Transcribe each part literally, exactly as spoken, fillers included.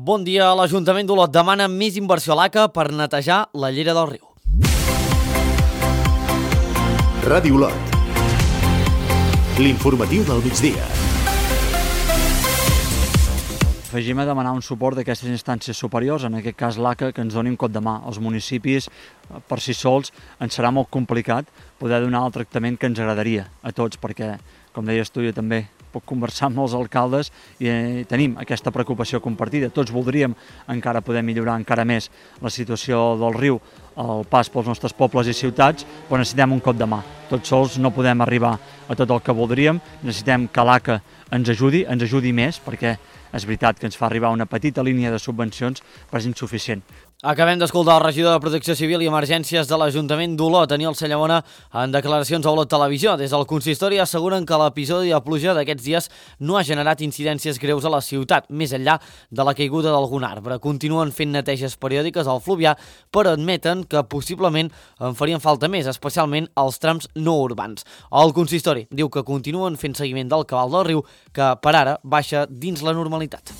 Bon dia. L'Ajuntament d'Olot demana més inversió a l'A C A per netejar la llera del riu. Ràdio Olot. L'informatiu del migdia. Afegim a demanar un suport d'aquestes instàncies superiors, en aquest cas l'A C A, que ens doni un cop de mà. Els municipis, per si sols, ens serà molt complicat poder donar el tractament que ens agradaria a tots, perquè, com deies tu, jo també puc conversar amb els alcaldes i eh, tenim aquesta preocupació compartida. Tots voldríem encara poder millorar encara més la situació del riu, el pas pels nostres pobles i ciutats, però necessitem un cop de mà. Tots sols no podem arribar a tot el que voldríem, necessitem que l'A C A ens ajudi, ens ajudi més, perquè és veritat que ens fa arribar una petita línia de subvencions, però és insuficient. Acabem d'escoltar el regidor de Protecció Civil i Emergències de l'Ajuntament d'Olot, Daniel Sallamona, en declaracions a Olot Televisió. Des del consistori asseguren que l'episodi de pluja d'aquests dies no ha generat incidències greus a la ciutat, més enllà de la caiguda d'algun arbre. Continuen fent neteges periòdiques al fluvià, però admeten que possiblement en farien falta més, especialment als trams no urbans. El consistori diu que continuen fent seguiment del cabal del riu, que per ara baixa dins la normalitat.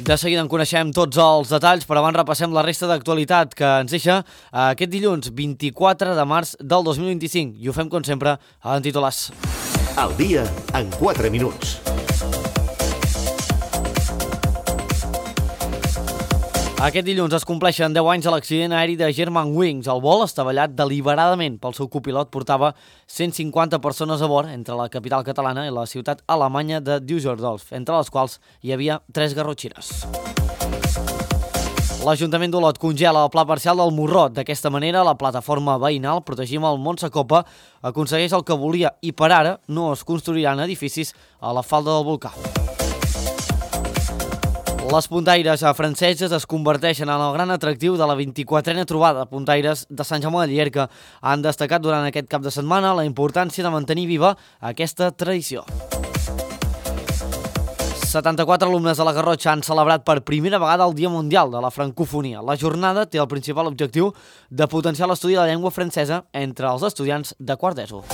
De seguida en coneixem tots els detalls, però abans repassem la resta d'actualitat que ens deixa aquest dilluns vint-i-quatre de març del dos mil vint-i-cinc. I ho fem, com sempre, en titulars. El dia en quatre minuts. Aquest dilluns es compleixen deu anys de l'accident aeri de Germanwings. El vol, estavellat deliberadament pel seu copilot, portava cent cinquanta persones a bord entre la capital catalana i la ciutat alemanya de Düsseldorf, entre les quals hi havia tres garrotxines. L'Ajuntament d'Olot congela el pla parcial del Morrot. D'aquesta manera, la plataforma veïnal Protegim el Montsecopa aconsegueix el que volia i per ara no es construiran edificis a la falda del volcà. Les puntaires franceses es converteixen en el gran atractiu de la vint-i-quatrena trobada. Puntaires de Sant Jaume de Llierca han destacat durant aquest cap de setmana la importància de mantenir viva aquesta tradició. setanta-quatre alumnes de la Garrotxa han celebrat per primera vegada el Dia Mundial de la Francofonia. La jornada té el principal objectiu de potenciar l'estudi de la llengua francesa entre els estudiants de quart d'ESO.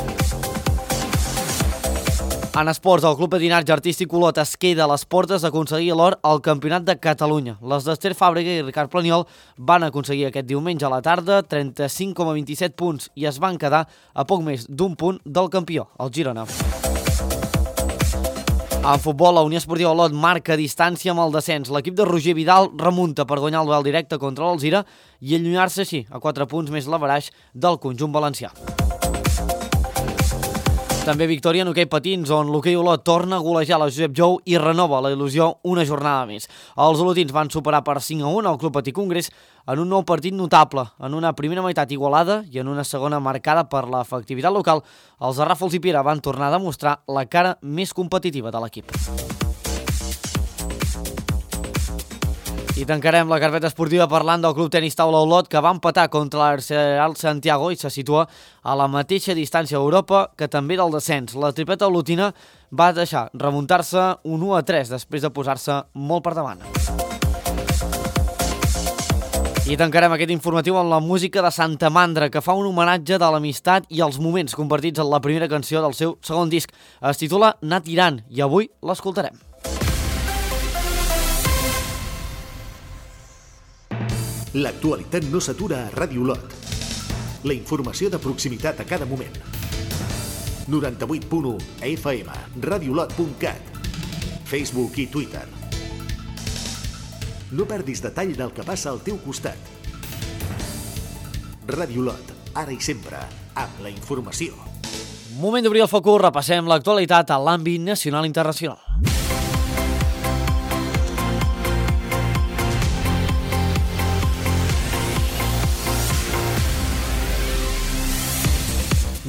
En esports, el Club Patinatge Artístic Olot es queda a les portes d'aconseguir l'or al Campionat de Catalunya. Les d'Ester Fàbrega i Ricard Planiol van aconseguir aquest diumenge a la tarda trenta-cinc coma vint-i-set punts i es van quedar a poc més d'un punt del campió, el Girona. En futbol, la Unió Esportiva Olot marca distància amb el descens. L'equip de Roger Vidal remunta per guanyar el duel directe contra l'Alzira i allunyar-se així a quatre punts més l'averaix del conjunt valencià. També victòria en hoquei patins, on l'hoquei Olot torna a golejar la Josep Jou i renova la il·lusió una jornada més. Els olotins van superar per cinc a un al Club Patí Congrés en un nou partit notable, en una primera meitat igualada i en una segona marcada per l'efectivitat local. Els de Ràfols i Piera van tornar a demostrar la cara més competitiva de l'equip. I tancarem la carpeta esportiva parlant del Club Tenis Taula Olot, que va empatar contra l'Arsenal Santiago i se situa a la mateixa distància a Europa que també del descens. La tripleta olotina va deixar remuntar-se un u a tres després de posar-se molt per davant. I tancarem aquest informatiu amb la música de Santa Mandra, que fa un homenatge de l'amistat i els moments compartits en la primera canció del seu segon disc. Es titula Anar tirant i avui l'escoltarem. L'actualitat no s'atura a Ràdio Olot. La informació de proximitat a cada moment. noranta-vuit punt u F M, radiolot punt cat, Facebook i Twitter. No perdis detall del que passa al teu costat. Ràdio Olot, ara i sempre, amb la informació. Moment d'obrir el focus, repassem l'actualitat a l'àmbit nacional i internacional.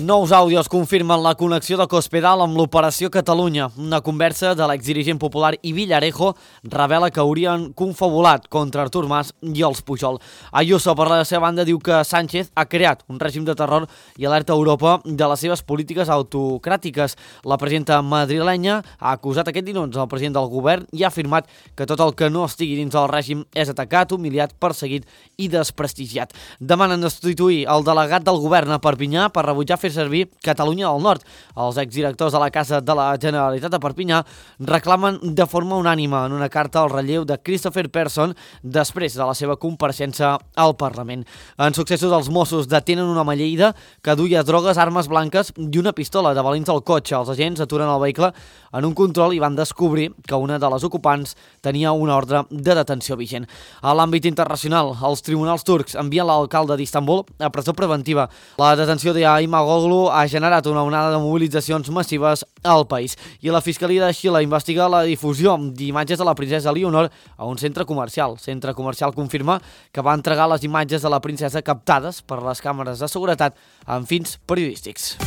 Nous àudios confirmen la connexió de Cospedal amb l'Operació Catalunya. Una conversa de l'exdirigent popular i Villarejo revela que haurien confabulat contra Artur Mas i els Pujol. Ayuso, per la seva banda, diu que Sánchez ha creat un règim de terror i alerta a Europa de les seves polítiques autocràtiques. La presidenta madrilenya ha acusat aquest dilluns el president del govern i ha afirmat que tot el que no estigui dins del règim és atacat, humiliat, perseguit i desprestigiat. Demanen destituir el delegat del govern a Perpinyà per rebutjar fer servir Catalunya del Nord. Els exdirectors de la Casa de la Generalitat de Perpinyà reclamen de forma unànime en una carta al relleu de Christopher Persson després de la seva compareixença al Parlament. En successos, els Mossos detenen un home a Lleida que duia drogues, armes blanques i una pistola de balins al cotxe. Els agents aturen el vehicle en un control i van descobrir que una de les ocupants tenia una ordre de detenció vigent. A l'àmbit internacional, els tribunals turcs envien l'alcalde d'Istanbul a presó preventiva. La detenció d'Imamoglu ha generat una onada de mobilitzacions massives al país i la Fiscalia de Xile investiga la difusió d'imatges de la princesa Leonor a un centre comercial. El centre comercial confirma que va entregar les imatges de la princesa captades per les càmeres de seguretat amb fins periodístics.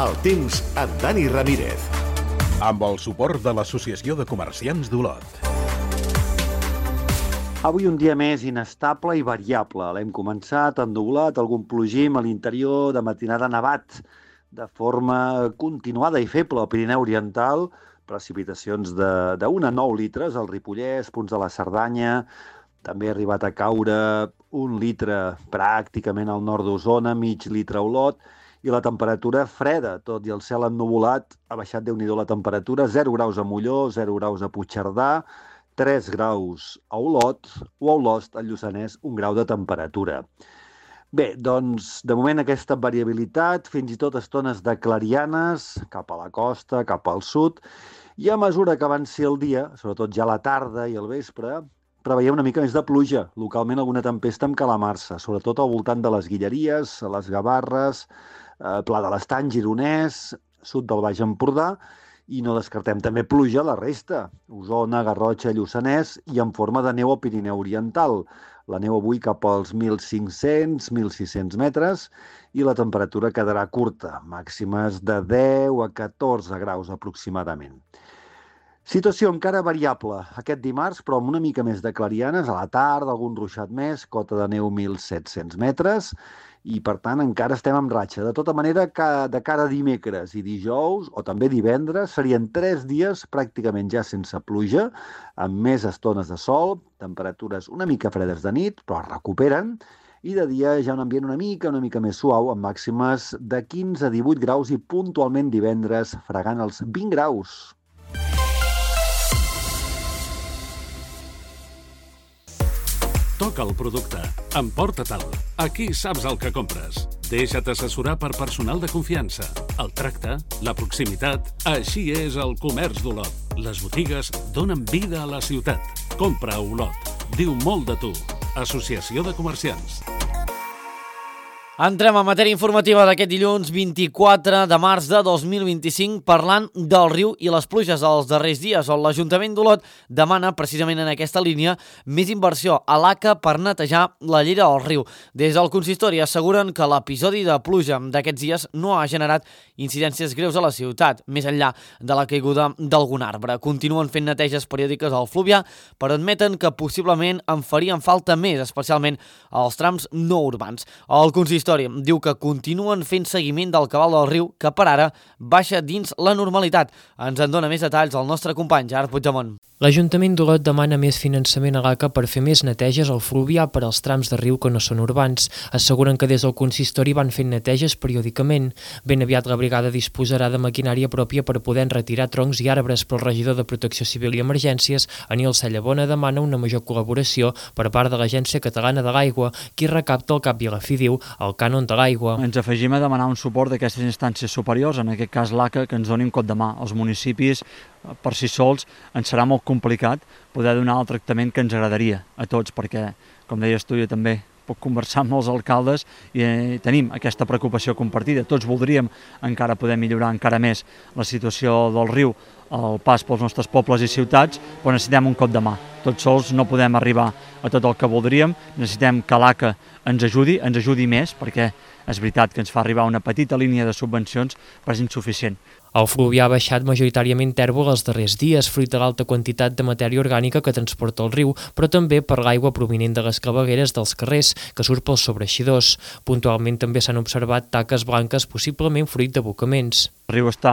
El temps amb Dani Ramírez. Amb el suport de l'Associació de Comerciants d'Olot. Avui un dia més inestable i variable. L'hem començat ennublat, algun plogim a l'interior, de matinada nevat, de forma continuada i feble al Pirineu Oriental, precipitacions d'un a nou litres al Ripollès, punts de la Cerdanya, també ha arribat a caure un litre pràcticament al nord d'Osona, mig litre a Olot, i la temperatura freda, tot i el cel ennuvolat, ha baixat déu-n'hi-do la temperatura, zero graus a Molló, zero graus a Puigcerdà, tres graus a Olot o a Olost, al Lluçanès, un grau de temperatura. Bé, doncs, de moment aquesta variabilitat, fins i tot estones de clarianes, cap a la costa, cap al sud, i a mesura que avanci el dia, sobretot ja a la tarda i al vespre, preveiem una mica més de pluja, localment alguna tempesta amb calamarsa, sobretot al voltant de les Guilleries, les Gavarres, eh, Pla de l'Estany, Gironès, sud del Baix Empordà, i no descartem també pluja a la resta, Osona, Garrotxa, Lluçanès, i en forma de neu al Pirineu Oriental. La neu avui cap als mil cinc-cents, mil sis-cents metres, i la temperatura quedarà curta, màximes de deu a catorze graus aproximadament. Situació encara variable aquest dimarts, però amb una mica més de clarianes, a la tarda algun ruixat més, cota de neu mil set-cents metres, i per tant encara estem en ratxa. De tota manera, de cara a dimecres i dijous, o també divendres, serien tres dies pràcticament ja sense pluja, amb més estones de sol, temperatures una mica fredes de nit, però es recuperen, i de dia ja un ambient una mica, una mica més suau, amb màximes de quinze a divuit graus i puntualment divendres fregant els vint graus. Toca el producte. Emporta-te'l. Aquí saps el que compres. Deixa't assessorar per personal de confiança. El tracte, la proximitat... Així és el comerç d'Olot. Les botigues donen vida a la ciutat. Compra a Olot. Diu molt de tu. Associació de Comerciants. Entrem a matèria informativa d'aquest dilluns vint-i-quatre de març de dos mil vint-i-cinc parlant del riu i les pluges dels darrers dies, on l'Ajuntament d'Olot demana precisament en aquesta línia més inversió a l'A C A per netejar la llera del riu. Des del consistori asseguren que l'episodi de pluja d'aquests dies no ha generat incidències greus a la ciutat, més enllà de la caiguda d'algun arbre. Continuen fent neteges periòdiques al Fluvià, però admeten que possiblement en farien falta més, especialment als trams no urbans. El consistori diu que continuen fent seguiment del cabal del riu, que per ara baixa dins la normalitat. Ens en dona més detalls el nostre company Gerard Puigdemont. L'Ajuntament d'Olot demana més finançament a l'A C A per fer més neteges al Fluvià per als trams de riu que no són urbans. Asseguren que des del consistori van fent neteges periòdicament. Ben aviat la brigada disposarà de maquinària pròpia per poder retirar troncs i arbres, però el regidor de Protecció Civil i Emergències, Aniol Sallabona, demana una major col·laboració per part de l'Agència Catalana de l'Aigua, qui recapta al cap i a la fi, diu, el cànon de l'aigua. Ens afegim a demanar un suport d'aquestes instàncies superiors, en aquest cas l'A C A, que ens doni un cop de mà. Els municipis, per si sols, ens serà molt complicat poder donar el tractament que ens agradaria a tots, perquè, com deies tu, jo també puc conversar amb els alcaldes i eh, tenim aquesta preocupació compartida. Tots voldríem encara poder millorar encara més la situació del riu, el pas pels nostres pobles i ciutats, però necessitem un cop de mà. Tots sols no podem arribar a tot el que voldríem, necessitem que l'A C A ens ajudi, ens ajudi més, perquè és veritat que ens fa arribar una petita línia de subvencions, però és insuficient. El Fluvià ha baixat majoritàriament tèrbol els darrers dies, fruit de l'alta quantitat de matèria orgànica que transporta el riu, però també per l'aigua provinent de les clavegueres dels carrers, que surt pels sobreeixidors. Puntualment també s'han observat taques blanques, possiblement fruit d'abocaments. El riu està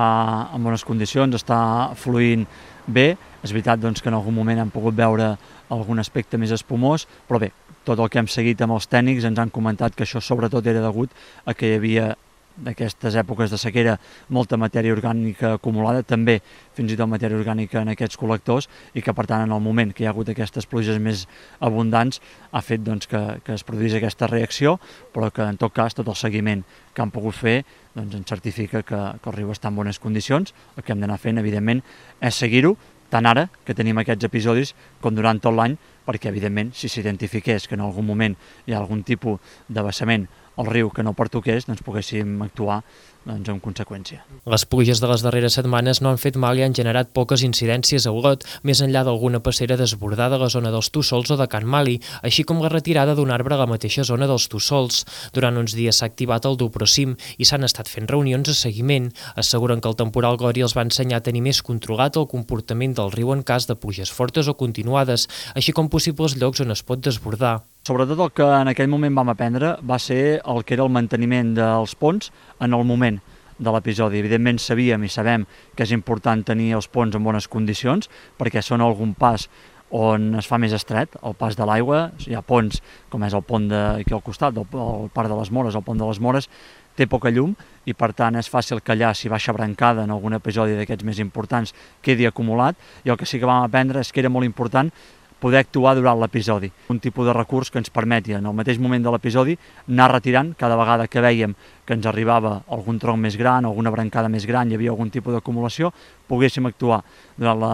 en bones condicions, està fluint bé. És veritat doncs, que en algun moment hem pogut veure algun aspecte més espumós, però bé, tot el que hem seguit amb els tècnics ens han comentat que això sobretot era degut a que hi havia d'aquestes èpoques de sequera molta matèria orgànica acumulada, també fins i tot matèria orgànica en aquests col·lectors, i que per tant en el moment que hi ha hagut aquestes pluges més abundants ha fet doncs, que, que es produís aquesta reacció, però que en tot cas tot el seguiment que han pogut fer doncs, ens certifica que, que el riu està en bones condicions. El que hem d'anar fent evidentment és seguir-ho, tant ara que tenim aquests episodis com durant tot l'any, perquè evidentment si s'identifiqués que en algun moment hi ha algun tipus de vessament al riu que no pertoqués, doncs poguéssim actuar doncs, en conseqüència. Les pluges de les darreres setmanes no han fet mal i han generat poques incidències a Olot, més enllà d'alguna passera desbordada a la zona dels Tussols o de Can Mali, així com la retirada d'un arbre a la mateixa zona dels Tussols. Durant uns dies s'ha activat el Duprocim i s'han estat fent reunions de seguiment. Asseguren que el temporal Gloria els va ensenyar a tenir més controlat el comportament del riu en cas de pluges fortes o continuades, així com possibles llocs on es pot desbordar. Sobretot el que en aquell moment vam aprendre va ser el que era el manteniment dels ponts en el moment de l'episodi. Evidentment sabíem i sabem que és important tenir els ponts en bones condicions perquè són algun pas on es fa més estret, el pas de l'aigua. Hi ha ponts, com és el pont d'aquí al costat, el, el parc de les Mores, el pont de les Mores, té poca llum i per tant és fàcil que allà, si baixa brancada en algun episodi d'aquests més importants, quedi acumulat, i el que sí que vam aprendre és que era molt important poder actuar durant l'episodi. Un tipus de recurs que ens permeti en el mateix moment de l'episodi anar retirant cada vegada que vèiem que ens arribava algun tronc més gran, alguna brancada més gran, hi havia algun tipus d'acumulació, poguéssim actuar durant la,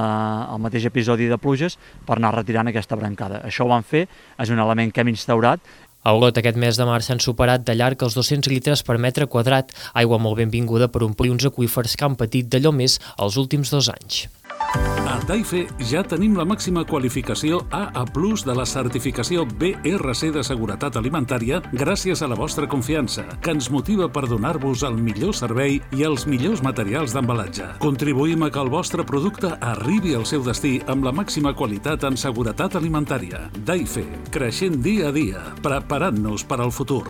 el mateix episodi de pluges per anar retirant aquesta brancada. Això ho vam fer, és un element que hem instaurat. A Olot aquest mes de març s'han superat de llarg els dos-cents litres per metre quadrat, aigua molt benvinguda per omplir uns aqüífers que han patit d'allò més els últims dos anys. A Taife ja tenim la màxima qualificació A A plus de la certificació B R C de seguretat alimentària gràcies a la vostra confiança, que ens motiva per donar-vos el millor servei i els millors materials d'embalatge. Contribuïm a que el vostre producte arribi al seu destí amb la màxima qualitat en seguretat alimentària. Taife, creixent dia a dia, preparant-nos per al futur.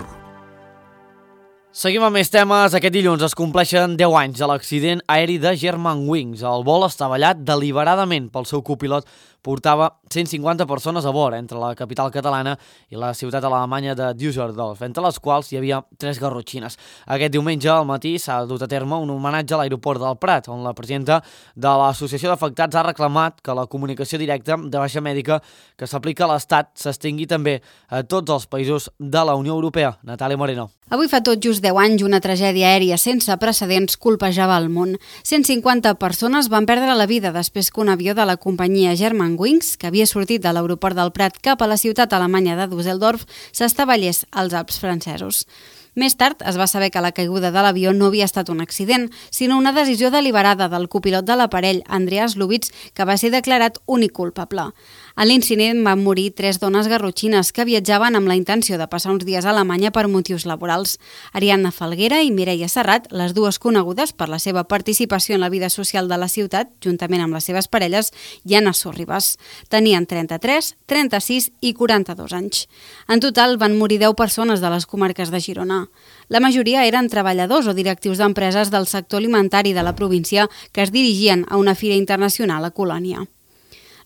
Seguim amb més temes. Aquest dilluns es compleixen deu anys de l'accident aeri de Germanwings. El vol estavellat deliberadament pel seu copilot portava cent cinquanta persones a bord entre la capital catalana i la ciutat alemanya de Düsseldorf, entre les quals hi havia tres garrotxines. Aquest diumenge al matí s'ha dut a terme un homenatge a l'aeroport del Prat, on la presidenta de l'Associació d'Afectats ha reclamat que la comunicació directa de baixa mèdica que s'aplica a l'Estat s'estengui també a tots els països de la Unió Europea. Natàlia Moreno. Avui fa tot just deu anys una tragèdia aèria sense precedents colpejava el món. cent cinquanta persones van perdre la vida després que un avió de la companyia Germanwings, que havia sortit de l'aeroport del Prat cap a la ciutat alemanya de Düsseldorf, s'estavellés als Alps francesos. Més tard es va saber que la caiguda de l'avió no havia estat un accident, sinó una decisió deliberada del copilot de l'aparell, Andreas Lubitz, que va ser declarat únic culpable. En l'incident van morir tres dones garrotxines que viatjaven amb la intenció de passar uns dies a Alemanya per motius laborals. Ariadna Falguera i Mireia Serrat, les dues conegudes per la seva participació en la vida social de la ciutat, juntament amb les seves parelles, i Anna Sorribas. Tenien trenta-tres, trenta-sis i quaranta-dos anys. En total van morir deu persones de les comarques de Girona. La majoria eren treballadors o directius d'empreses del sector alimentari de la província que es dirigien a una fira internacional a Colònia.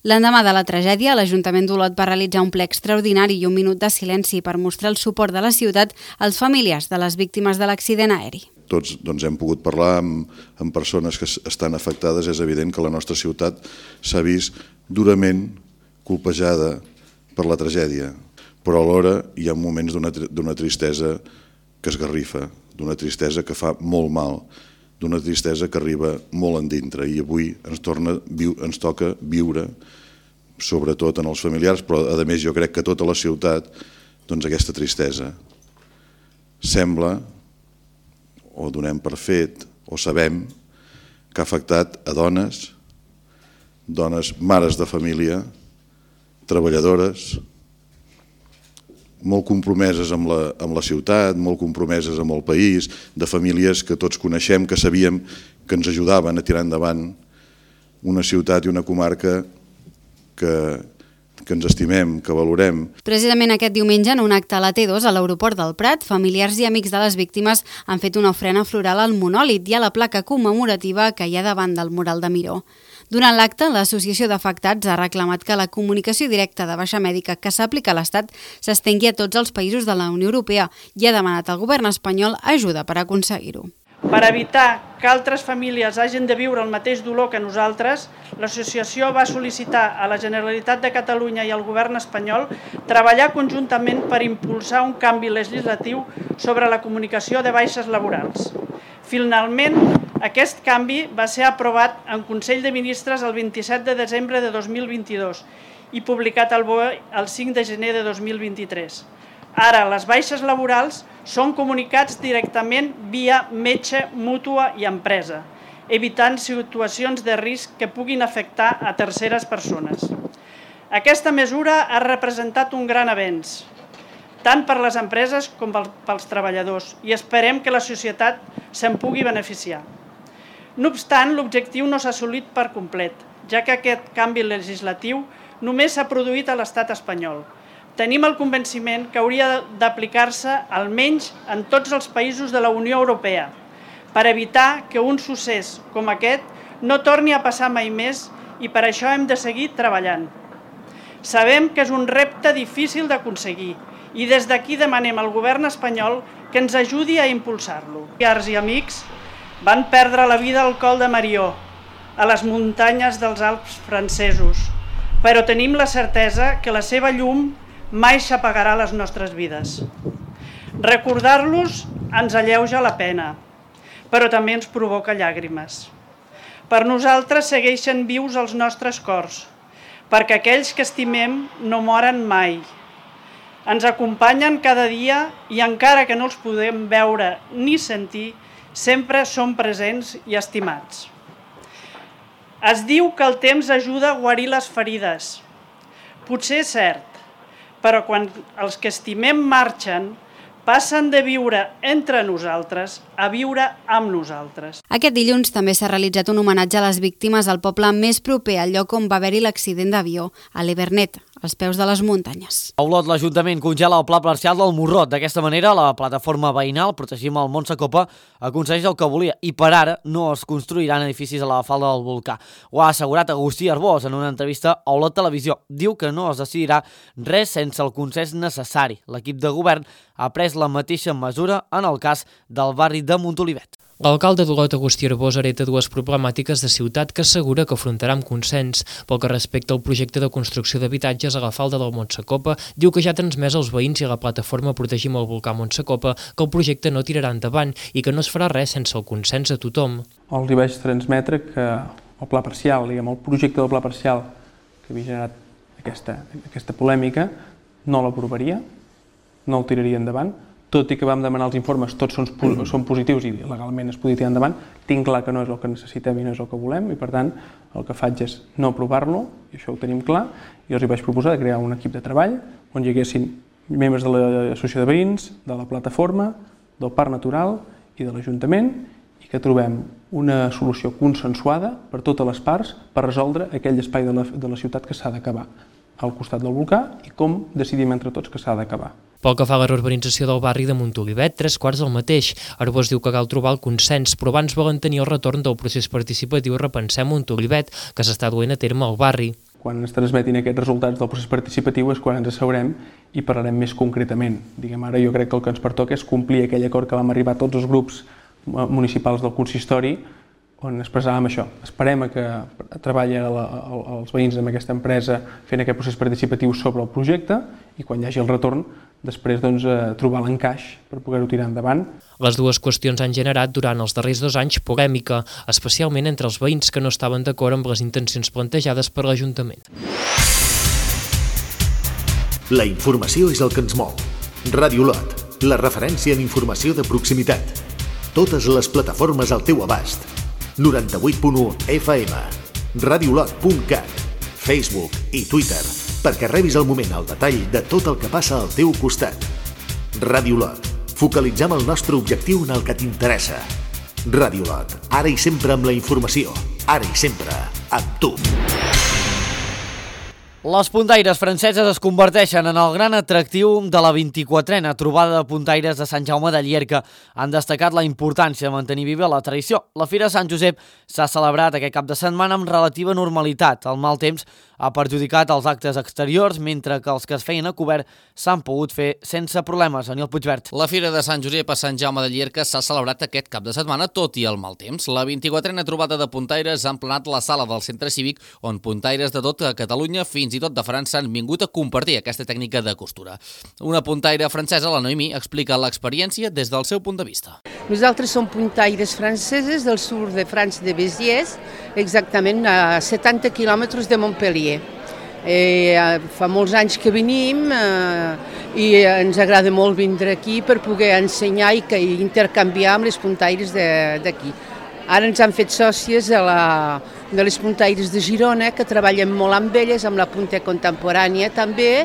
L'endemà de la tragèdia, l'Ajuntament d'Olot va realitzar un ple extraordinari i un minut de silenci per mostrar el suport de la ciutat als familiars de les víctimes de l'accident aeri. Tots doncs, hem pogut parlar amb, amb persones que estan afectades. És evident que la nostra ciutat s'ha vist durament colpejada per la tragèdia, però alhora hi ha moments d'una tristesa que esgarrifa, d'una tristesa que fa molt mal, d'una tristesa que arriba molt endintre, i avui ens, torna, ens toca viure, sobretot en els familiars, però a més jo crec que tota la ciutat, doncs aquesta tristesa. Sembla, o donem per fet, o sabem, que ha afectat a dones, dones mares de família, treballadores, molt compromeses amb la, amb la ciutat, molt compromeses amb el país, de famílies que tots coneixem, que sabíem que ens ajudaven a tirar endavant una ciutat i una comarca que, que ens estimem, que valorem. Precisament aquest diumenge, en un acte a la T dos a l'aeroport del Prat, familiars i amics de les víctimes han fet una ofrena floral al monòlit i a la placa commemorativa que hi ha davant del mural de Miró. Durant l'acte, l'Associació d'Afectats ha reclamat que la comunicació directa de baixa mèdica que s'aplica a l'Estat s'estengui a tots els països de la Unió Europea i ha demanat al govern espanyol ajuda per aconseguir-ho. Per evitar que altres famílies hagin de viure el mateix dolor que nosaltres, l'associació va sol·licitar a la Generalitat de Catalunya i al govern espanyol treballar conjuntament per impulsar un canvi legislatiu sobre la comunicació de baixes laborals. Finalment, aquest canvi va ser aprovat en Consell de Ministres el vint-i-set de desembre de dos mil vint-i-dos i publicat al B O E el cinc de gener de dos mil vint-i-tres. Ara, les baixes laborals són comunicats directament via metge, mútua i empresa, evitant situacions de risc que puguin afectar a terceres persones. Aquesta mesura ha representat un gran avenç, tant per les empreses com pels treballadors, i esperem que la societat se'n pugui beneficiar. No obstant, l'objectiu no s'ha assolit per complet, ja que aquest canvi legislatiu només s'ha produït a l'Estat espanyol. Tenim el convenciment que hauria d'aplicar-se almenys en tots els països de la Unió Europea per evitar que un succés com aquest no torni a passar mai més i per això hem de seguir treballant. Sabem que és un repte difícil d'aconseguir i des d'aquí demanem al govern espanyol que ens ajudi a impulsar-lo. Familiars i amics van perdre la vida al Col de Marió, a les muntanyes dels Alps francesos, però tenim la certesa que la seva llum mai s'apagarà a les nostres vides. Recordar-los ens alleuja la pena, però també ens provoca llàgrimes. Per nosaltres segueixen vius els nostres cors, perquè aquells que estimem no moren mai. Ens acompanyen cada dia i encara que no els podem veure ni sentir, sempre són presents i estimats. Es diu que el temps ajuda a guarir les ferides. Potser és cert, però quan els que estimem marxen, passen de viure entre nosaltres a viure amb nosaltres. Aquest dilluns també s'ha realitzat un homenatge a les víctimes al poble més proper al lloc on va haver-hi l'accident d'avió, a l'Hivernet, als peus de les muntanyes. A Olot, l'Ajuntament congela el pla parcial del Morrot. D'aquesta manera, la plataforma veïnal Protegim el Montsecopa aconsegueix el que volia i per ara no es construiran edificis a la falda del volcà. Ho ha assegurat Agustí Arbós en una entrevista a Olot Televisió. Diu que no es decidirà res sense el consens necessari. L'equip de govern ha pres la mateixa mesura en el cas del barri de Montolivet. L'alcalde d'Olot, Agustí Arbós, hereta dues problemàtiques de ciutat que assegura que afrontarà amb consens. Pel que respecta al projecte de construcció d'habitatges a la falda del Montsecopa, diu que ja ha transmès als veïns i a la plataforma Protegim el volcà Montsecopa que el projecte no tirarà endavant i que no es farà res sense el consens de tothom. Els hi vaig transmetre que el pla parcial, diguem, el projecte del pla parcial que havia generat aquesta, aquesta polèmica, no l'aprovaria, no el tiraria endavant, tot i que vam demanar els informes, tots són, són positius i legalment es podia tirar endavant, tinc clar que no és el que necessitem i no és el que volem i per tant el que faig és no aprovar-lo, i això ho tenim clar, i els hi vaig proposar de crear un equip de treball on hi haguessin membres de l'associació de veïns, de la plataforma, del Parc Natural i de l'Ajuntament i que trobem una solució consensuada per totes les parts per resoldre aquell espai de la, de la ciutat que s'ha d'acabar al costat del volcà i com decidim entre tots que s'ha d'acabar. Pel que fa a la reurbanització del barri de Montolivet, tres quarts del mateix. Arbós diu que cal trobar el consens, però abans volen tenir el retorn del procés participatiu Repensem Montolivet, que s'està duent a terme al barri. Quan ens transmetin aquests resultats del procés participatiu és quan ens asseurem i parlarem més concretament. Diguem, ara jo crec que el que ens pertoca és complir aquell acord que vam arribar tots els grups municipals del consistori on expressàvem això. Esperem a que treballi els veïns amb aquesta empresa fent aquest procés participatiu sobre el projecte i quan hi hagi el retorn després doncs, trobar l'encaix per poder-ho tirar endavant. Les dues qüestions han generat durant els darrers dos anys polèmica, especialment entre els veïns que no estaven d'acord amb les intencions plantejades per l'Ajuntament. La informació és el que ens mou. Ràdio Olot, la referència en informació de proximitat. Totes les plataformes al teu abast. noranta-vuit punt u F M, radiolot punt cat, Facebook i Twitter, perquè rebis al moment el detall de tot el que passa al teu costat. Ràdio Olot, focalitzem el nostre objectiu en el que t'interessa. Ràdio Olot, ara i sempre amb la informació, ara i sempre amb tu. Les puntaires franceses es converteixen en el gran atractiu de la vint-i-quatrena trobada de puntaires de Sant Jaume de Llierca. Han destacat la importància de mantenir viva la tradició. La Fira de Sant Josep s'ha celebrat aquest cap de setmana amb relativa normalitat. El mal temps ha perjudicat els actes exteriors, mentre que els que es feien a cobert s'han pogut fer sense problemes. Daniel Puigvert. La Fira de Sant Josep a Sant Jaume de Llierca s'ha celebrat aquest cap de setmana, tot i el mal temps. La vint-i-quatrena trobada de puntaires ha emplenat la sala del centre cívic, on puntaires de tot Catalunya, fins i tot de França, han vingut a compartir aquesta tècnica de costura. Una puntaire francesa, la Noemí, explica l'experiència des del seu punt de vista. Nosaltres som puntaires franceses del sud de França, de Béziers, exactament a setanta quilòmetres de Montpellier. Eh, fa molts anys que venim eh, i ens agrada molt vindre aquí per poder ensenyar i, que, i intercanviar amb les puntaires d'aquí. Ara ens han fet sòcies de, la, de les puntaires de Girona, que treballen molt amb elles, amb la punta contemporània també,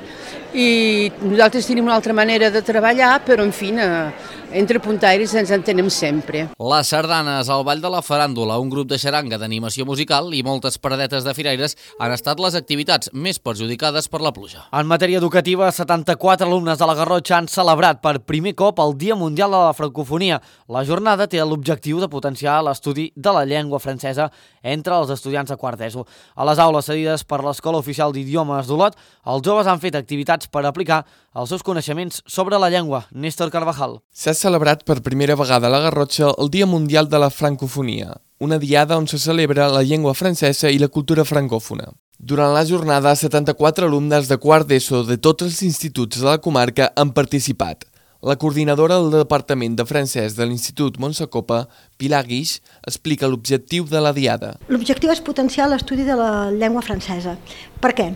i nosaltres tenim una altra manera de treballar, però en fi, eh, entre puntaires ens entenem sempre. Les sardanes, el ball de la faràndula, un grup de xaranga d'animació musical i moltes paradetes de firaires han estat les activitats més perjudicades per la pluja. En matèria educativa, setanta-quatre alumnes de la Garrotxa han celebrat per primer cop el Dia Mundial de la Francofonia. La jornada té l'objectiu de potenciar l'estudi de la llengua francesa entre els estudiants de quart d'ESO. A les aules cedides per l'Escola Oficial d'Idiomes d'Olot, els joves han fet activitats per aplicar els seus coneixements sobre la llengua. Néstor Carvajal. S'ha celebrat per primera vegada a la Garrotxa el Dia Mundial de la Francofonia, una diada on se celebra la llengua francesa i la cultura francòfona. Durant la jornada, setanta-quatre alumnes de quart d'ESO de tots els instituts de la comarca han participat. La coordinadora del Departament de Francès de l'Institut Montsacopa, Pilar Guix, explica l'objectiu de la diada. L'objectiu és potenciar l'estudi de la llengua francesa. Per què?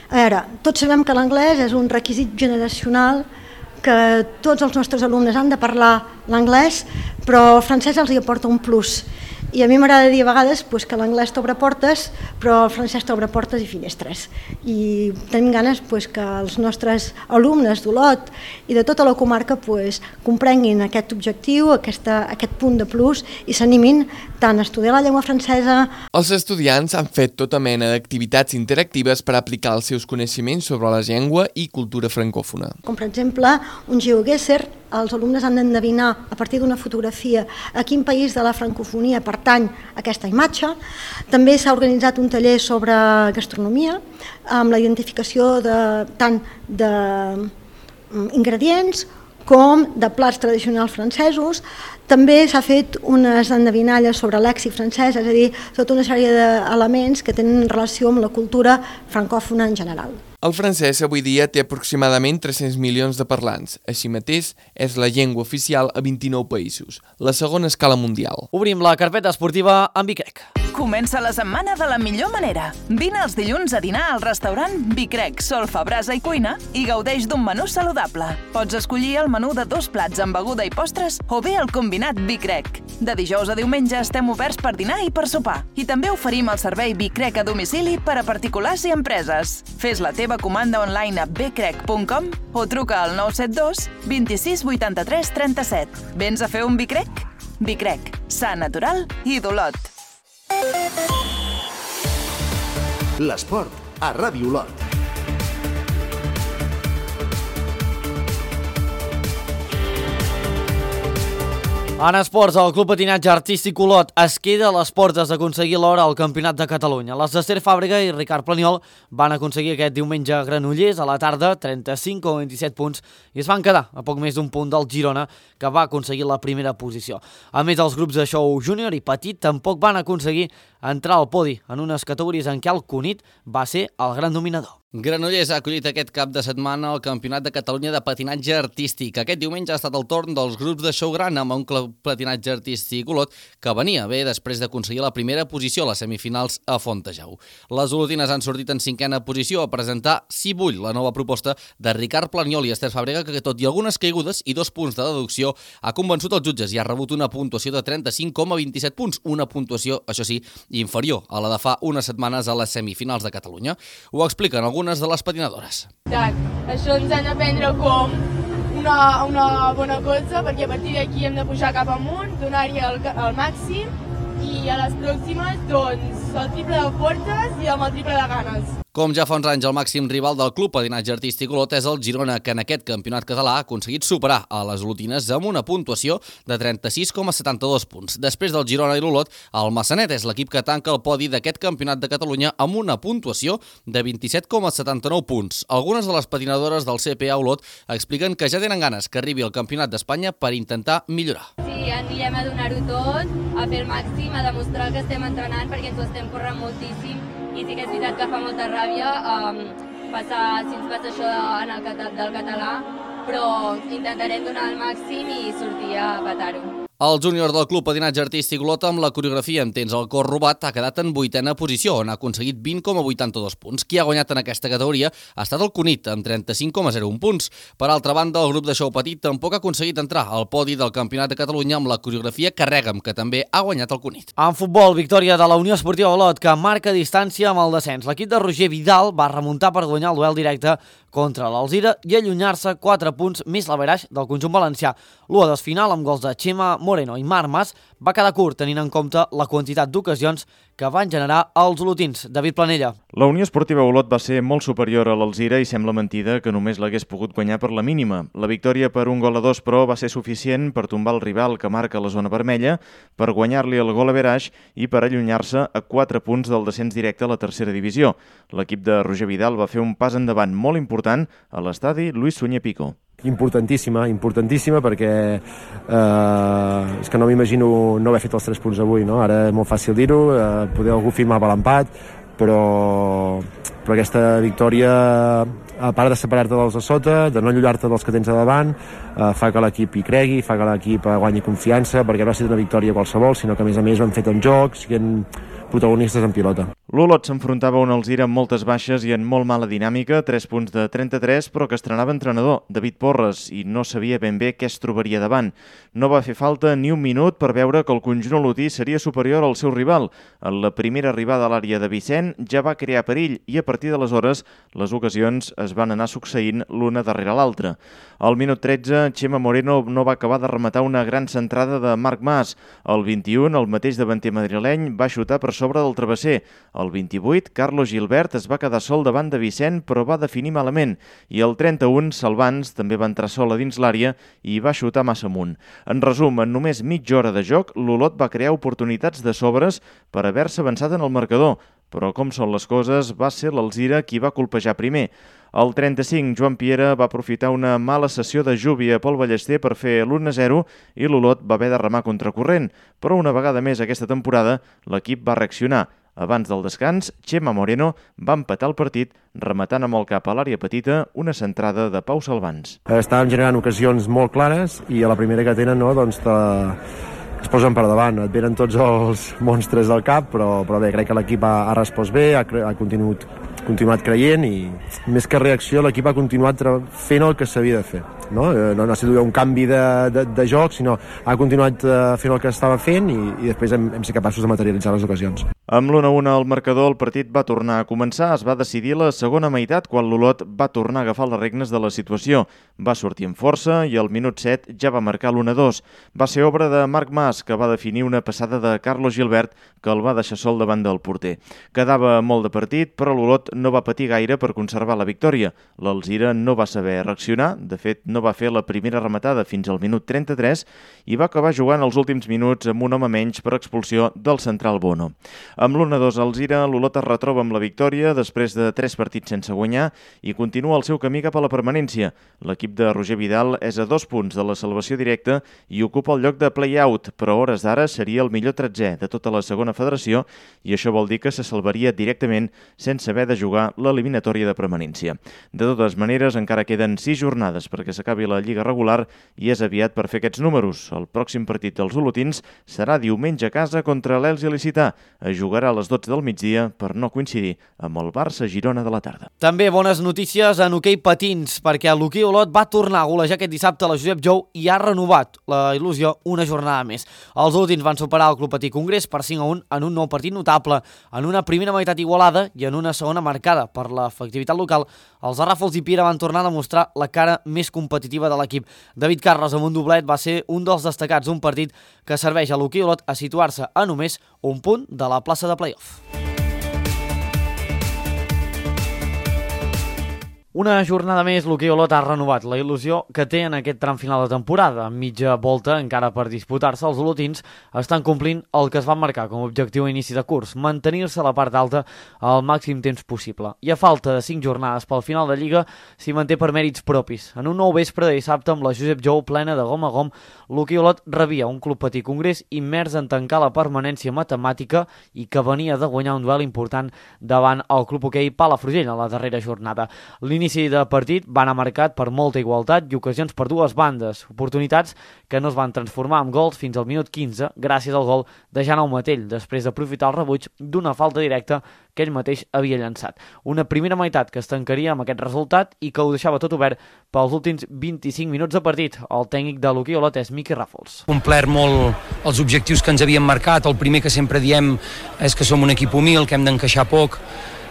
A veure, tots sabem que l'anglès és un requisit generacional, que tots els nostres alumnes han de parlar l'anglès, però el francès els hi aporta un plus. I a mi m'agrada dir a vegades pues, que l'anglès t'obre portes, però el francès t'obre portes i finestres. I tenim ganes pues, que els nostres alumnes d'Olot i de tota la comarca pues, comprenguin aquest objectiu, aquesta, aquest punt de plus i s'animin tant a estudiar la llengua francesa. Els estudiants han fet tota mena d'activitats interactives per aplicar els seus coneixements sobre la llengua i cultura francòfona. Com per exemple, un geoguesser, els alumnes han d'endevinar a partir d'una fotografia a quin país de la francofonia pertany aquesta imatge. També s'ha organitzat un taller sobre gastronomia amb la identificació de, tant d'ingredients com de plats tradicionals francesos. També s'ha fet unes endevinalles sobre lèxic francès, és a dir, tota una sèrie d'elements que tenen relació amb la cultura francòfona en general. El francès avui dia té aproximadament tres-cents milions de parlants. Així mateix, és la llengua oficial a vint-i-nou països, la segona a escala mundial. Obrim la carpeta esportiva amb Bicrec. Comença la setmana de la millor manera. Vine els dilluns a dinar al restaurant Bicrec, solfa, brasa i cuina i gaudeix d'un menú saludable. Pots escollir el menú de dos plats amb beguda i postres o bé el combinat Bicrec. De dijous a diumenge estem oberts per dinar i per sopar. I també oferim el servei Bicrec a domicili per a particulars i empreses. Fes la teva comanda online a bcrec punt com o truca al nou set dos, vint-i-sis, vuitanta-tres, trenta-set. Vens a fer un Bicrec? Bicrec, sa, natural i d'Olot. L'esport a Ràdio Olot. En esports, el Club Patinatge Artístic Olot es queda a les portes d'aconseguir l'hora al Campionat de Catalunya. Les d'Ester Fàbrega i Ricard Planiol van aconseguir aquest diumenge a Granollers a la tarda trenta-cinc coma vint-i-set punts i es van quedar a poc més d'un punt del Girona, que va aconseguir la primera posició. A més, els grups de show júnior i petit tampoc van aconseguir entrar al podi en unes categories en què el Cunit va ser el gran dominador. Granollers ha acollit aquest cap de setmana el Campionat de Catalunya de Patinatge Artístic. Aquest diumenge ha estat el torn dels grups de show gran amb un Club Patinatge Artístic Olot que venia bé després d'aconseguir la primera posició a les semifinals a Fontejau. Les olotines han sortit en cinquena posició a presentar Si vull, la nova proposta de Ricard Planiol i Ester Fàbrega, que tot i algunes caigudes i dos punts de deducció ha convençut els jutges i ha rebut una puntuació de trenta-cinc coma vint-i-set punts, una puntuació, això sí, inferior a la de fa unes setmanes a les semifinals de Catalunya. Ho expliquen algunes de les patinadores. Això ens han d'aprendre com una, una bona cosa, perquè a partir d'aquí hem de pujar cap amunt, donar-hi el, el màxim i a les pròximes doncs el triple de forces i amb el triple de ganes. Com ja fa uns anys, el màxim rival del Club Patinatge Artístic Olot és el Girona, que en aquest campionat català ha aconseguit superar a les olotines amb una puntuació de trenta-sis coma setanta-dos punts. Després del Girona i l'Olot, el Massanet és l'equip que tanca el podi d'aquest campionat de Catalunya amb una puntuació de vint-i-set coma setanta-nou punts. Algunes de les patinadores del C P A Olot expliquen que ja tenen ganes que arribi el Campionat d'Espanya per intentar millorar. Sí, anirem a donar-ho tot, a fer el màxim, a demostrar que estem entrenant perquè ens ho estem corrent moltíssim. I sí que és veritat que fa molta ràbia um, passar, si ens passa això en el català, del català, però intentarem donar el màxim i sortir a petar-ho. El júnior del Club Patinatge Artístic Olot amb la coreografia amb temps al cor robat ha quedat en vuitena posició, on ha aconseguit vint coma vuitanta-dos punts. Qui ha guanyat en aquesta categoria ha estat el Cunit, amb trenta-cinc coma zero un punts. Per altra banda, el grup de xou petit tampoc ha aconseguit entrar al podi del Campionat de Catalunya amb la coreografia Carrega'm, que també ha guanyat el Cunit. En futbol, victòria de la Unió Esportiva Olot, que marca distància amb el descens. L'equip de Roger Vidal va remuntar per guanyar el duel directe contra l'Alzira i allunyar-se quatre punts més l'averaix del conjunt valencià. L'u a dos final amb gols de Chema Moreno i Marc Mas va quedar curt tenint en compte la quantitat d'ocasions que van generar els olotins. David Planella. La Unió Esportiva Olot va ser molt superior a l'Alzira i sembla mentida que només l'hagués pogut guanyar per la mínima. La victòria per un gol a dos, però, va ser suficient per tombar el rival que marca la zona vermella, per guanyar-li el gol averaix i per allunyar-se a quatre punts del descens directe a la tercera divisió. L'equip de Roger Vidal va fer un pas endavant molt important a l'estadi Luis Sunyer Pico. Importantíssima, importantíssima perquè eh, és que no m'imagino no haver fet els tres punts avui, no? Ara és molt fàcil dir-ho, eh, poder algú firmava l'empat, però, però aquesta victòria, a part de separar-te dels de sota, de no allullar-te dels que tens a davant, eh, fa que l'equip hi cregui, fa que l'equip guanyi confiança, perquè no ha estat una victòria qualsevol, sinó que a més a més ho han fet en joc, siguent protagonistes en pilota. L'Olot s'enfrontava a un Alzira amb moltes baixes i en molt mala dinàmica, tres punts de trenta-tres, però que estrenava entrenador, David Porres, i no sabia ben bé què es trobaria davant. No va fer falta ni un minut per veure que el conjunt olotí seria superior al seu rival. En la primera arribada a l'àrea de Vicent ja va crear perill i a partir d'aleshores les ocasions es van anar succeint l'una darrere l'altra. Al minut tretze, Chema Moreno no va acabar de rematar una gran centrada de Marc Mas. Al vint-i-un, el mateix davanter madrileny va xutar per sobre del travesser. Al vint-i-vuit, Carlos Gilbert es va quedar sol davant de Vicent, però va definir malament. I al trenta-un, Salvans també va entrar sol a dins l'àrea i va xutar massa amunt. En resum, en només mitja hora de joc, l'Olot va crear oportunitats de sobres per haver-se avançat en el marcador. Però com són les coses, va ser l'Alzira qui va colpejar primer. Al trenta-cinc, Joan Piera va aprofitar una mala sessió de lluvia pel Ballester per fer l'u a zero i l'Olot va haver de remar contracorrent. Però una vegada més aquesta temporada, l'equip va reaccionar. Abans del descans, Chema Moreno va empatar el partit rematant amb el cap a l'àrea petita una centrada de Pau Salvans. Estàvem generant ocasions molt clares i a la primera que tenen, no, doncs te... es posen per davant, et venen tots els monstres del cap, però, però bé, crec que l'equip ha, ha respost bé, ha, ha continuat, continuat creient i més que reacció l'equip ha continuat fent el que s'havia de fer. No, no ha sigut un canvi de, de, de joc, sinó ha continuat fent el que estava fent i, i després hem, hem sigut capaços de materialitzar les ocasions. Amb l'u a un al marcador, el partit va tornar a començar. Es va decidir la segona meitat quan l'Olot va tornar a agafar les regnes de la situació. Va sortir amb força i al minut set ja va marcar l'u a dos. Va ser obra de Marc Mas, que va definir una passada de Carlos Gilbert que el va deixar sol davant del porter. Quedava molt de partit, però l'Olot no va patir gaire per conservar la victòria. L'Alzira no va saber reaccionar, de fet no va fer la primera rematada fins al minut trenta-tres i va acabar jugant els últims minuts amb un home menys per expulsió del central Bono. Amb l'u a dos a Alzira, l'Olot es retroba amb la victòria després de tres partits sense guanyar i continua el seu camí cap a la permanència. L'equip de Roger Vidal és a dos punts de la salvació directa i ocupa el lloc de play-out, però a hores d'ara seria el millor tretzè de tota la segona federació i això vol dir que se salvaria directament sense haver de jugar l'eliminatòria de permanència. De totes maneres, encara queden sis jornades perquè s'acabi la Lliga regular i és aviat per fer aquests números. El pròxim partit dels olotins serà diumenge a casa contra l'Elx il·licità. Es jugarà a les dotze del migdia per no coincidir amb el Barça-Girona de la tarda. També bones notícies en hoquei patins, perquè l'hoquei Olot va va tornar a golejar aquest dissabte a la Josep Jou i ha renovat la il·lusió una jornada més. Els últims van superar el Club Patí Congrés per cinc a un en un nou partit notable, en una primera meitat igualada i en una segona marcada per l'efectivitat local. Els de Ràfols i Piera van tornar a demostrar la cara més competitiva de l'equip. David Carles amb un doblet va ser un dels destacats d'un partit que serveix a l'Hoquei Olot a situar-se a només un punt de la plaça de play-off. Una jornada més, l'Hoquei Olot ha renovat la il·lusió que té en aquest tram final de temporada. Amb mitja volta encara per disputar-se, els olotins estan complint el que es van marcar com a objectiu a inici de curs, mantenir-se a la part alta al màxim temps possible. I a falta de cinc jornades pel final de Lliga, s'hi manté per mèrits propis. En un nou vespre de dissabte amb la Josep Jou plena de gom a gom, l'Hoquei Olot rebia un Club Patí Congrés immers en tancar la permanència matemàtica i que venia de guanyar un duel important davant el Club Hoquei Palafrugell a la darrera jornada. L'inici de partit va anar marcat per molta igualtat i ocasions per dues bandes, oportunitats que no es van transformar en gols fins al minut quinze gràcies al gol de Jaume Matell, després d'aprofitar el rebuig d'una falta directa que ell mateix havia llançat. Una primera meitat que es tancaria amb aquest resultat i que ho deixava tot obert pels últims vint-i-cinc minuts de partit. El tècnic de l'Hoquei Olot és Miqui Ràfols. Complert molt els objectius que ens havíem marcat. El primer que sempre diem és que som un equip humil, que hem d'encaixar poc,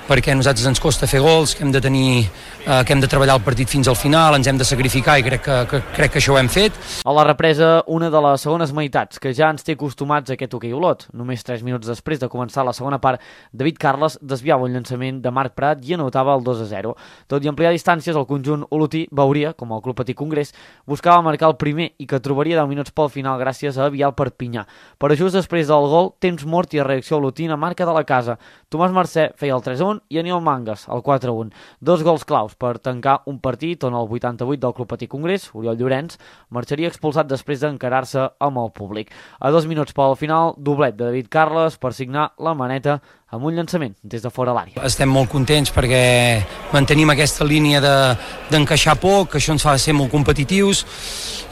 perquè a nosaltres ens costa fer gols, que hem de tenir, eh, que hem de treballar el partit fins al final, ens hem de sacrificar i crec que, que, crec que això ho hem fet. A la represa, una de les segones meitats, que ja ens té acostumats a aquest Hoquei Olot. Només tres minuts després de començar la segona part, David Carles desviava un llançament de Marc Prat i anotava el dos a zero. Tot i ampliar distàncies, el conjunt olotí veuria, com el Club Patí Congrés, buscava marcar el primer i que trobaria deu minuts pel final gràcies a Avial Perpinyà. Però just després del gol, temps mort i reacció olotina, marca de la casa. Tomàs Mercè feia el tres a un i Aniol Mangas, el quatre a un. Dos gols claus per tancar un partit on el vuitanta-vuit del Club Patí Congrés, Oriol Llorenç, marxaria expulsat després d'encarar-se amb el públic. A dos minuts pel final, doblet de David Carles per signar la maneta amb un llançament des de fora l'àrea. Estem molt contents perquè mantenim aquesta línia de, d'encaixar poc, que això ens fa ser molt competitius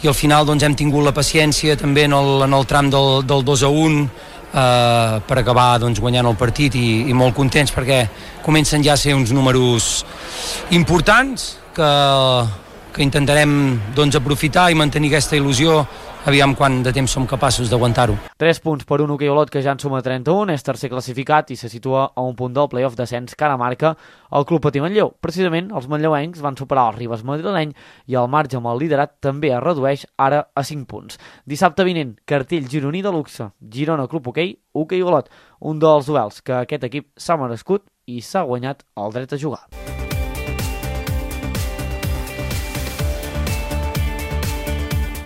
i al final doncs, hem tingut la paciència també en el, en el tram del, del dos a un Uh, per acabar doncs, guanyant el partit i, i molt contents perquè comencen ja a ser uns números importants que, que intentarem doncs, aprofitar i mantenir aquesta il·lusió, aviam quant de temps som capaços d'aguantar-ho. Tres punts per un Hoquei Olot que ja en suma trenta-un, és tercer classificat i se situa a un punt del play-off descens que ara marca el Club Patí Manlleu. Precisament, els manlleuencs van superar el Ribes madrileny i el marge amb el liderat també es redueix ara a cinc punts. Dissabte vinent, cartell gironí de luxe, Girona Club Hoquei, Hoquei Olot, un dels duels que aquest equip s'ha merescut i s'ha guanyat el dret a jugar.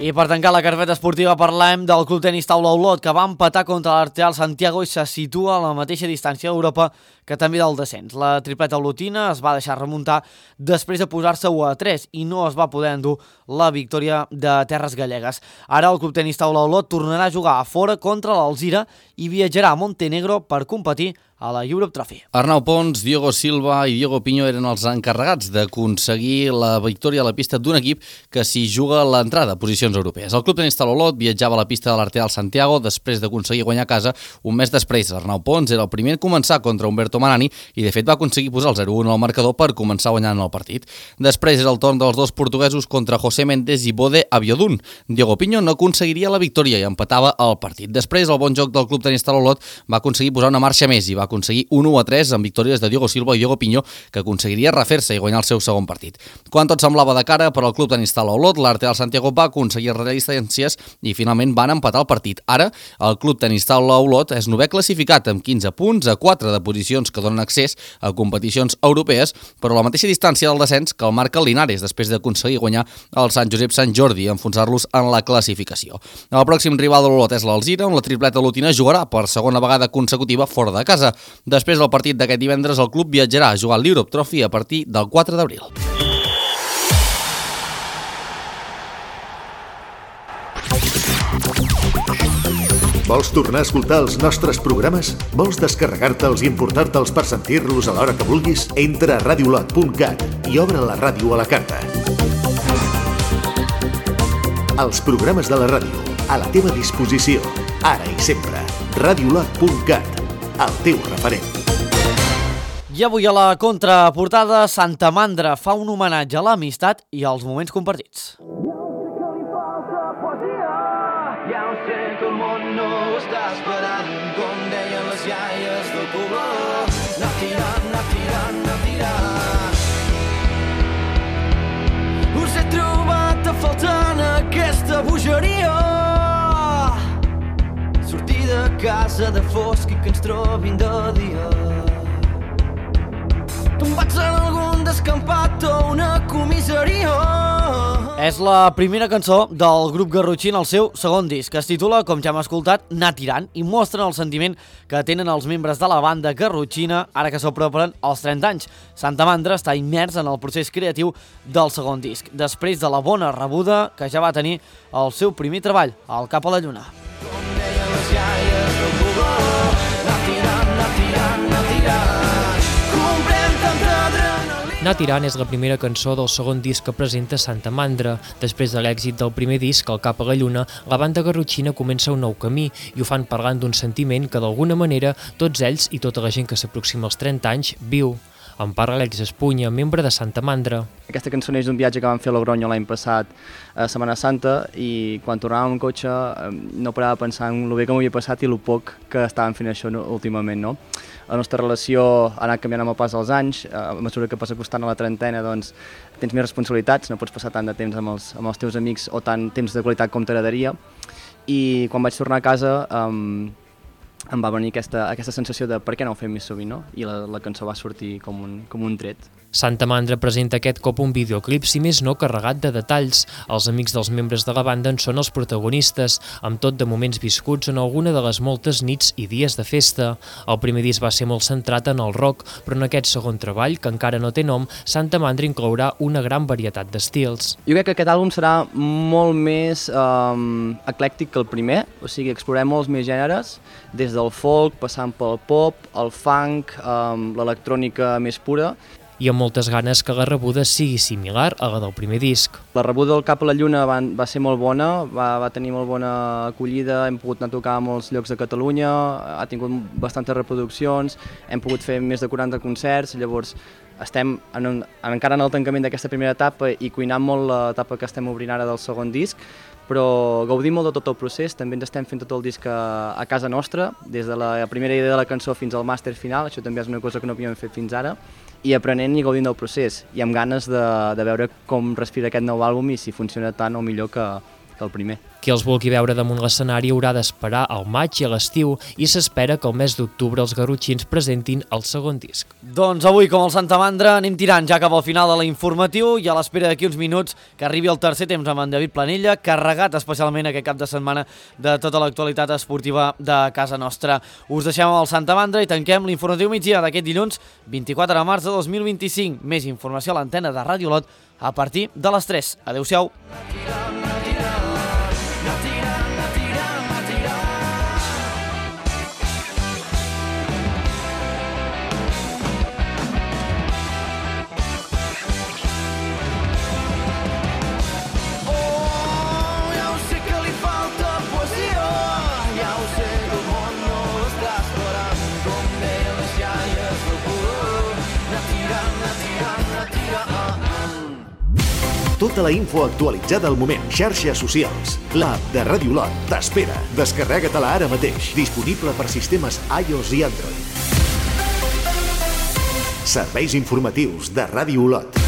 I per tancar la carpeta esportiva parlem del Club Tenis Taula Olot, que va empatar contra l'Arteal Santiago i se situa a la mateixa distància d'Europa que també del descens. La tripleta olotina es va deixar remuntar després de posar-se u a tres i no es va poder endur la victòria de Terres Gallegues. Ara el Club Tenis Taula Olot tornarà a jugar a fora contra l'Alzira i viatjarà a Montenegro per competir a la Europe Trophy. Arnau Pons, Diego Silva i Diego Piño eren els encarregats d'aconseguir la victòria a la pista d'un equip que s'hi juga l'entrada a posicions europees. El Club Tenis Taula Olot viatjava a la pista de l'Arteal Santiago després d'aconseguir guanyar a casa un mes després. Arnau Pons era el primer en començar contra Humberto Manani i de fet va aconseguir posar el zero a un al marcador per començar guanyant el partit. Després era el torn dels dos portuguesos contra José Méndez i Bode Abiodun. Diego Piño no aconseguiria la victòria i empatava el partit. Després el bon joc del Club Tenis Taula Olot va aconseguir posar una marxa més i va aconseguir un u a tres amb victòries de Diego Silva i Diego Piño, que aconseguiria refer-se i guanyar el seu segon partit. Quan tot semblava de cara per al Club Tenis Taula Olot, l'Arteal Santiago va aconseguir retallar distàncies i finalment van empatar el partit. Ara, el Club Tenis Taula Olot és novè classificat amb quinze punts a quatre de posicions que donen accés a competicions europees, però a la mateixa distància del descens que el marca el Linares després d'aconseguir guanyar el Sant Josep Sant Jordi i enfonsar-los en la classificació. El pròxim rival de l'Olot és l'Alzira, on la tripleta olotina jugarà per segona vegada consecutiva fora de casa. Després del partit d'aquest divendres, el club viatjarà a jugar a l'Europe Trophy a partir del quatre d'abril. Vols tornar a escoltar els nostres programes? Vols descarregar-te'ls i importar-te'ls per sentir-los a l'hora que vulguis? Entra a radiolot punt cat i obre la ràdio a la carta. Els programes de la ràdio, a la teva disposició, ara i sempre. radiolot punt cat, el teu referent. I avui a la contraportada, Santa Mandra fa un homenatge a l'amistat i als moments compartits. Ja ho sé que el món no ho està esperant, com deien les iaies del poble. Anar tirant, anar tirant, anar tirant. Us he trobat a faltar en aquesta bogeria. Sortir de casa de fosc i que ens trobin de dia. Tombats en algun descampat o una comissaria. És la primera cançó del grup garrotxí en el seu segon disc, que es titula, com ja hem escoltat, Anar tirant, i mostren el sentiment que tenen els membres de la banda garrotxina ara que s'apropen als trenta anys. Santa Mandra està immers en el procés creatiu del segon disc, després de la bona rebuda que ja va tenir el seu primer treball, el Cap a la Lluna. Com deien les iaies del poble, anar tirant, anar tirant, anar tirant. Comprem tanta adrenalina. Anar tirant és la primera cançó del segon disc que presenta Santa Mandra. Després de l'èxit del primer disc, El Cap a la Lluna, la banda garrotxina comença un nou camí i ho fan parlant d'un sentiment que d'alguna manera tots ells i tota la gent que s'aproxima als trenta anys viu. En parla l'Àlex Espunya, membre de Santa Mandra. Aquesta cançó neix d'un viatge que vam fer a Logroño l'any passat a Setmana Santa i quan tornàvem en cotxe no parava de pensar en el bé que m'havia passat i el poc que estàvem fent això últimament. No? La nostra relació ha anat canviant amb el pas dels anys, a mesura que passa costant a la trentena doncs, tens més responsabilitats, no pots passar tant de temps amb els, amb els teus amics o tant temps de qualitat com t'agradaria. I quan vaig tornar a casa um, em va venir aquesta, aquesta sensació de per què no ho fem més sovint, no? I la, la cançó va sortir com un, com un tret. Santa Mandra presenta aquest cop un videoclip, si més no, carregat de detalls. Els amics dels membres de la banda en són els protagonistes, amb tot de moments viscuts en alguna de les moltes nits i dies de festa. El primer disc va ser molt centrat en el rock, però en aquest segon treball, que encara no té nom, Santa Mandra inclourà una gran varietat d'estils. Jo crec que aquest àlbum serà molt més um, eclèctic que el primer, o sigui, explorem molts més gèneres, des del folk, passant pel pop, el funk, um, l'electrònica més pura, i amb moltes ganes que la rebuda sigui similar a la del primer disc. La rebuda del Cap a la Lluna va, va ser molt bona, va, va tenir molt bona acollida, hem pogut anar a tocar a molts llocs de Catalunya, ha tingut bastantes reproduccions, hem pogut fer més de quaranta concerts, llavors estem en un, encara en el tancament d'aquesta primera etapa i cuinant molt l'etapa que estem obrint ara del segon disc, però gaudim molt de tot el procés, també ens estem fent tot el disc a, a casa nostra, des de la primera idea de la cançó fins al màster final, això també és una cosa que no havíem fet fins ara, i aprenent i gaudint del procés, i amb ganes de, de veure com respira aquest nou àlbum i si funciona tant o millor que, que el primer. Qui els vulgui veure damunt l'escenari haurà d'esperar al maig i a l'estiu i s'espera que el mes d'octubre els garrotxins presentin el segon disc. Doncs avui, com el Santa Mandra, anem tirant ja cap al final de l'informatiu i a l'espera d'aquí uns minuts que arribi el tercer temps amb en David Planella, carregat especialment aquest cap de setmana de tota l'actualitat esportiva de casa nostra. Us deixem amb el Santa Mandra i tanquem l'informatiu migdia d'aquest dilluns vint-i-quatre de març de dos mil vint-i-cinc. Més informació a l'antena de Ràdio Olot a partir de les tres. Adéu-siau. Tota la info actualitzada al moment. Xarxes socials. L'app de Ràdio Olot t'espera. Descarrega-te-la ara mateix. Disponible per sistemes iOS i Android. Serveis informatius de Ràdio Olot.